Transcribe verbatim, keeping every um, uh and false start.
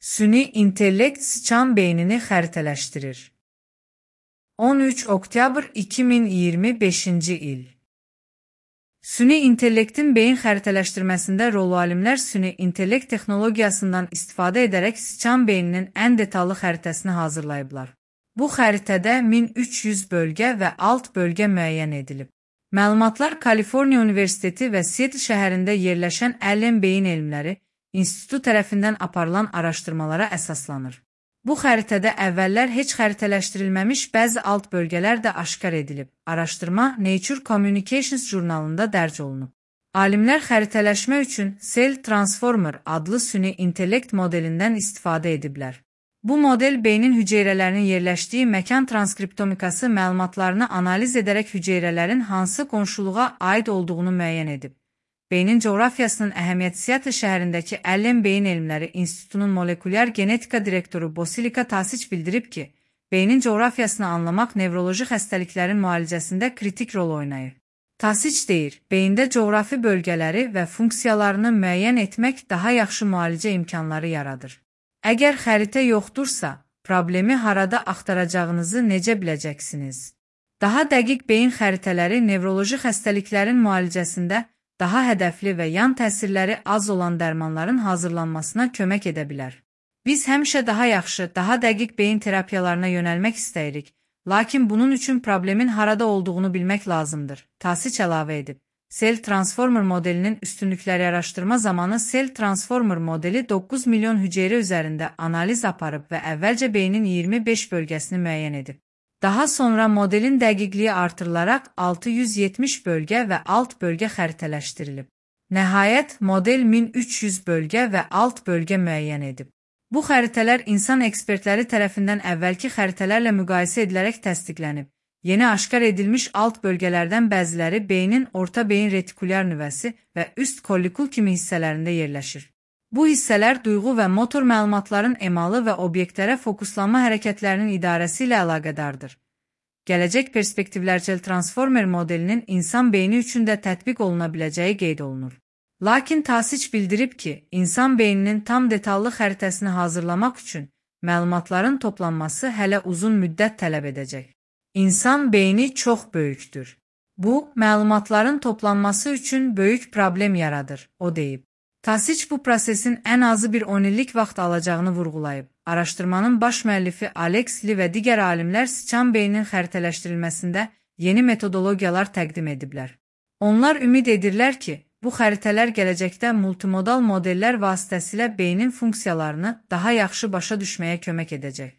Süni intellekt sıçan beynini xəritələşdirir. on üç oktyabr iki min iyirmi beşinci il. Süni intellektin beyin xəritələşdirməsində rolu alimlər süni intellekt texnologiyasından istifadə edərək sıçan beyninin ən detallı xəritəsini hazırlayıblar. Bu xəritədə min üç yüz bölgə və alt bölgə müəyyən edilib. Məlumatlar Kaliforniya Universiteti və Seattle şəhərində yerləşən Allen Beyin Elmləri İnstitutu tərəfindən aparılan araşdırmalara əsaslanır. Bu xəritədə əvvəllər heç xəritələşdirilməmiş bəzi alt bölgələr də aşkar edilib. Araşdırma Nature Communications jurnalında dərc olunub. Alimlər xəritələşmə üçün Cell Transformer adlı süni intellekt modelindən istifadə ediblər. Bu model beynin hüceyrələrinin yerləşdiyi məkan transkriptomikası məlumatlarını analiz edərək hüceyrələrin hansı qonşuluğa aid olduğunu müəyyən edib. Beynin coğrafiyasının əhəmiyyəti Seattle şəhərindəki Allen Beyin Elmləri İnstitutunun molekulyar genetika direktoru Bosilika Tasiç bildirib ki, beynin coğrafiyasını anlamaq nevroloji xəstəliklərin müalicəsində kritik rol oynayır. Tasiç deyir, beyində coğrafi bölgələri və funksiyalarını müəyyən etmək daha yaxşı müalicə imkanları yaradır. Əgər xəritə yoxdursa, problemi harada axtaracağınızı necə biləcəksiniz? Daha dəqiq beyin xəritələri nevroloji xəstəliklərin müalicəsində daha hədəfli və yan təsirləri az olan dərmanların hazırlanmasına kömək edə bilər. Biz həmişə daha yaxşı, daha dəqiq beyin terapiyalarına yönəlmək istəyirik, lakin bunun üçün problemin harada olduğunu bilmək lazımdır, Tasiç əlavə edib. Cell Transformer modelinin üstünlükləri araşdırma zamanı Cell Transformer modeli doqquz milyon hüceyrə üzərində analiz aparıb və əvvəlcə beynin iyirmi beş bölgəsini müəyyən edib. Daha sonra modelin dəqiqliyi artırılaraq altı yüz yetmiş bölgə və alt bölgə xəritələşdirilib. Nəhayət, model min üç yüz bölgə və alt bölgə müəyyən edib. Bu xəritələr insan ekspertləri tərəfindən əvvəlki xəritələrlə müqayisə edilərək təsdiqlənib. Yeni aşkar edilmiş alt bölgələrdən bəziləri beynin orta beyin retikulyar nüvəsi və üst kollikul kimi hissələrində yerləşir. Bu hissələr duyğu və motor məlumatların emalı və obyektlərə fokuslanma hərəkətlərinin idarəsi ilə əlaqədardır. Gələcək perspektivlər Cell Transformer modelinin insan beyni üçün də tətbiq oluna biləcəyi qeyd olunur. Lakin Tasiç bildirib ki, insan beyninin tam detallı xəritəsini hazırlamaq üçün məlumatların toplanması hələ uzun müddət tələb edəcək. İnsan beyni çox böyükdür. Bu, məlumatların toplanması üçün böyük problem yaradır, o deyib. Tasiç bu prosesin ən azı bir on illik vaxt alacağını vurğulayıb. Araşdırmanın baş müəllifi Alex Lee və digər alimlər sıçan beyninin xəritələşdirilməsində yeni metodologiyalar təqdim ediblər. Onlar ümid edirlər ki, bu xəritələr gələcəkdə multimodal modellər vasitəsilə beynin funksiyalarını daha yaxşı başa düşməyə kömək edəcək.